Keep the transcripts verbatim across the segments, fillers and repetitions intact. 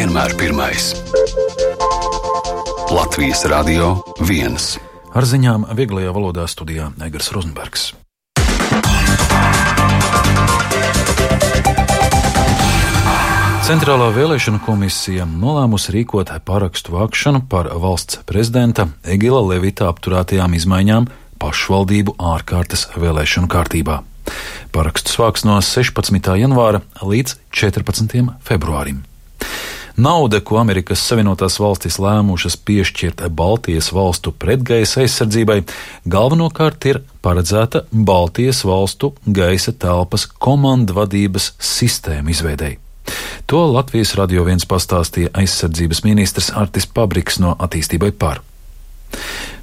vienmēr pirmais. Latvijas Radio viens. Ar ziņām vieglajā valodā studijā Egars Rozenbergs. Centrālā vēlēšanu komisija nolēmusi rīkot parakstu vākšanu par valsts prezidenta Egila Levita apturētajām izmaiņām pašvaldību ārkārtas vēlēšanu kārtībā. Parakstus vāks no sešpadsmitā janvāra līdz četrpadsmitajam februārim. Nauda, ko Amerikas Savienotās valstis lēmušas piešķirt Baltijas valstu pretgaisa aizsardzībai, galvenokārt ir paredzēta Baltijas valstu gaisa telpas komandvadības sistēmu izveidei. To Latvijas Radio viens pastāstīja aizsardzības ministrs Artis Pabriks no Attīstībai par.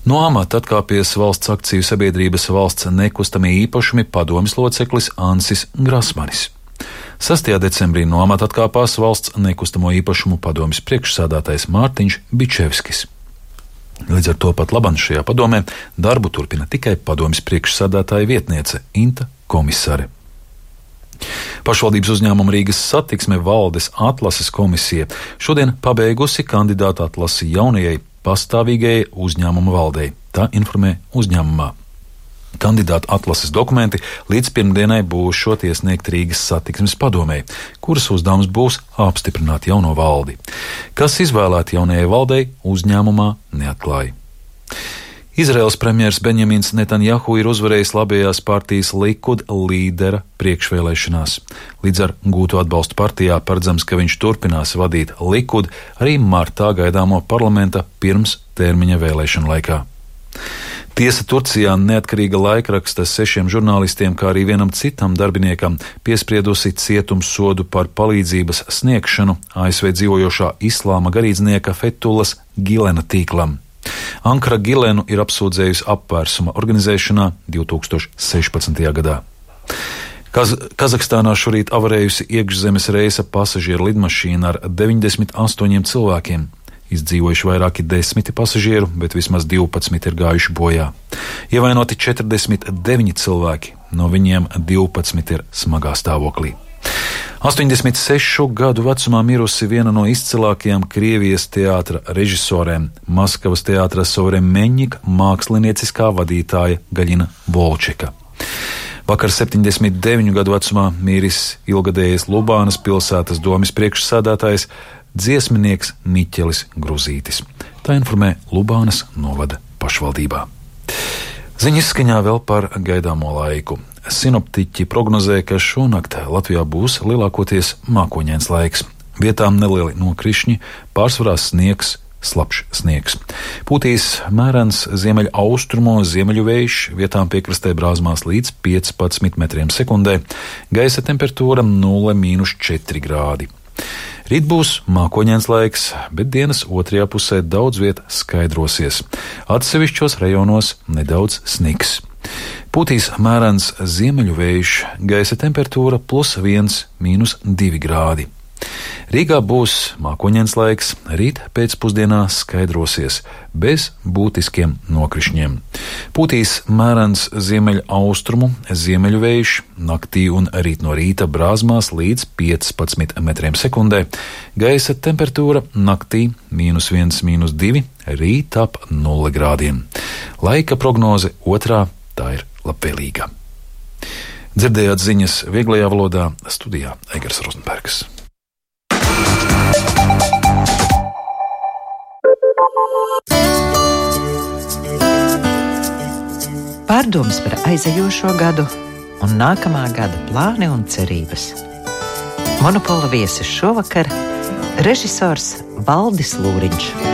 No amata atkāpies valsts akciju sabiedrības valsts nekustamie īpašumi padomes loceklis Ansis Grasmanis. sastajā decembrī no amata atkāpās valsts nekustamo īpašumu padomes priekšsēdētājs Mārtiņš Bičevskis. Līdz ar to pat labam šajā padomē darbu turpina tikai padomes priekšsēdētāja vietniece Inta Komisare. Pašvaldības uzņēmuma Rīgas satiksme valdes atlases komisija šodien pabeigusi kandidātu atlasi jaunajai pastāvīgajai uzņēmuma valdei. Tā informē uzņēmumā. Kandidātu atlases dokumenti līdz pirmdienai būs šot iesniegt Rīgas satiksmes padomei, kuras uzdevums būs apstiprināt jauno valdi. Kas izvēlēti jaunajai valdei, uzņēmumā neatklāja. Izraels premjers Benjamins Netanjahu ir uzvarējis labējās partijas Likud līdera priekšvēlēšanās. Līdz ar gūto atbalstu partijā paredzams, ka viņš turpinās vadīt Likud arī martā gaidāmo parlamenta pirms termiņa vēlēšanu laikā. Tiesa Turcijā neatkarīga laikraksta sešiem žurnālistiem, kā arī vienam citam darbiniekam piespriedusi cietumsodu par palīdzības sniegšanu A S V dzīvojošā islāma garīdznieka Fetullas Gilena tīklam. Ankara Gilenu ir apsūdzējusi apvērsuma organizēšanā divi tūkstoši sešpadsmitajā gadā. Kaz Kazahstānā šorīt avarējusi iekšzemes reisa pasažieru lidmašīna ar deviņdesmit astoņiem cilvēkiem. Izdzīvojuši vairāki desmiti pasažieru, bet vismaz divpadsmit ir gājuši bojā. Ievainoti četrdesmit deviņi cilvēki, no viņiem divpadsmit ir smagā stāvoklī. astoņdesmit sešu gadu vecumā mirusi viena no izcilākajām Krievijas teātra režisorēm, Maskavas teātra Sovremenņika mākslinieciskā vadītāja Gaļina Volčeka. Vakar septiņdesmit deviņu gadu vecumā miris ilgadējais Lubānas pilsētas domes priekšsēdētājs, dziesminieks Miķelis Gruzītis. Tā informē Lubānas novada pašvaldībā. Ziņas skaņā vēl par gaidāmo laiku. Sinoptiķi prognozē, ka šonakt Latvijā būs lielākoties mākoņains laiks. Vietām nelieli nokrišņi, pārsvarā sniegs, slapjš sniegs. Pūtīs mērens ziemeļu austrumu ziemeļu vējš, vietām piekrastē brāzmās līdz piecpadsmit metriem sekundē, gaisa temperatūra nulle mīnus četri grādi. Rīt būs mākoņains laiks, bet dienas otrajā pusē daudz viet skaidrosies. Atsevišķos rajonos nedaudz sniks. Pūtīs mērens ziemeļu vējš, gaisa temperatūra plus viens mīnus divi grādi. Rīgā būs mākoņains laiks, rīt pēcpusdienā skaidrosies, bez būtiskiem nokrišņiem. Pūtīs mērens ziemeļu austrumu ziemeļu vējš, naktī un rīt no rīta brāzmās līdz piecpadsmit metriem sekundē, gaisa temperatūra naktī mīnus viens, mīnus divi, rīt ap nulle grādiem. Laika prognoze otrā, tā ir labvēlīga. Dzirdējāt ziņas vieglajā valodā, studijā Egars Rozenbergs. Pārdomas par aizejošo gadu un nākamā gada plāni un cerības. Monopola viesis šovakar režisors Valdis Lūriņš.